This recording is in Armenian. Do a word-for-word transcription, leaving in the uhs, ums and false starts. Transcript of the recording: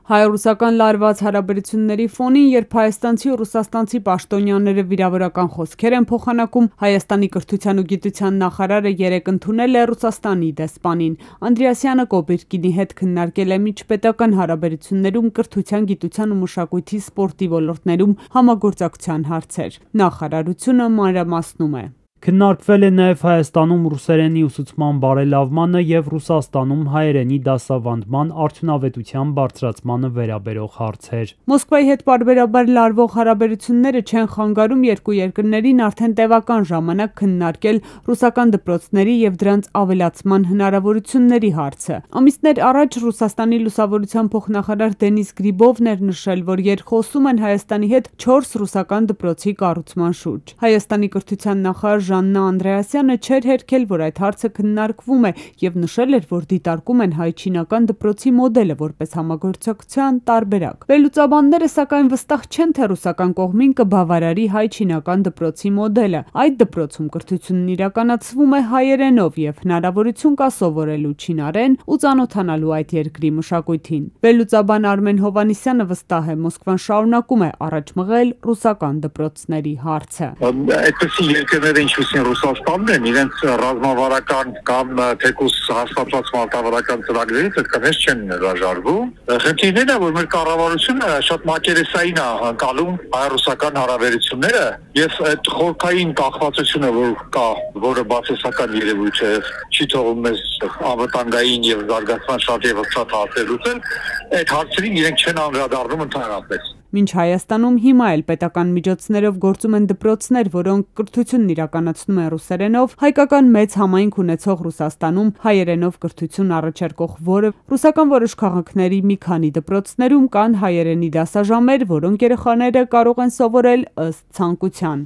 Հայ-ռուսական լարված հարաբերությունների ֆոնին, երբ հայաստանցի ու ռուսաստանցի պաշտոնյաները վիրավորական խոսքեր են փոխանակում, Հայաստանի կրթության ու գիտության նախարարը երեկ ընդունել է Ռուսաստանի դեսպանին։ Անդրեասյանը Կոբիրկինի հետ քննարկել է միջպետական հարաբերություններում կրթության, գիտության ու մշակույթի, սպորտի ոլորտներում համագործակցության հարցեր։ Նախարարությունը մանրամասնում է. Քննարկվել է նաև Հայաստանում ռուսերենի ուսուցման բարելավմանը և Ռուսաստանում հայերենի դասավանդման արդյունավետության բարձրացմանը վերաբերող հարցեր։ Մոսկվայի հետ պարբերաբար լարվող հարաբերությունները չեն խանգարում երկու երկրներին արդեն տևական ժամանակ քննարկել ռուսական դպրոցների և դրանց ավելացման հնարավորությունների հարցը։ Ամիսներ առաջ Ռուսաստանի լուսավորության փոխնախարար Դենիս Գրիբովն էր նշել, որ երկխոսում են Հայաստանի հետ չորս ռուսական դպրոցի կառուցման շուրջ։ Հայաստանի կրթության նախարար Ժաննա Անդրեասյանը չէր հերքել, որ այդ հարցը քննարկվում է և նշել էր, որ դիտարկում են հայ-չինական դպրոցի մոդելը որպես համագործակցության տարբերակ։ Վերլուծաբանները սակայն վստահ չեն, թե ռուսական կողմին կբավարարի հայ-չինական դպրոցի մոդելը։ Այդ դպրոցում կրթությունն իրականացվում է հայերենով և հնարավորություն կա սովորելու չինարեն ու ծանոթանալու այդ երկրի մշակույթին։ Վերլուծաբան Արմեն Հովհաննիսյանը վստահ է, Մոսկվան շարունակում է առաջ մղել ռուսական դպրոցների հարցը։ Այդպիսի երկրները ինչպիսին Ռուսաստանն են, իրենց ռազմավարական կամ թեկուզ հաստատված մարտավարական ծրագրերից այդքանից չեն հրաժարվում։ Խնդիրն է, որ մեր կառավարությունը շատ մակերեսային է անցալում հայ-ռուսական հարաբերությունները եւ այդ խորքային կախվածությունը, որ կա, որը բացասական երևույթ է, չի թողում մեզ անվտանգային եւ զարգացման շատ եւ շատ հարցեր լուծել, այդ հարցերին իրենք չեն անդրադառնում ընդհանրապես։ Մինչ Հայաստանում հիմա էլ պետական միջոցներով գործում են դպրոցներ, որոնք կրթությունն իրականացնում են ռուսերենով, հայկական մեծ համայնք ունեցող Ռուսաստանում հայերենով կրթություն առաջարկող որը ռուսական որոշ քաղաքների մի քանի դպրոցներում կան հայերենի դասաժամեր, որոնք երեխաները կարող են սովորել ըստ ցանկության։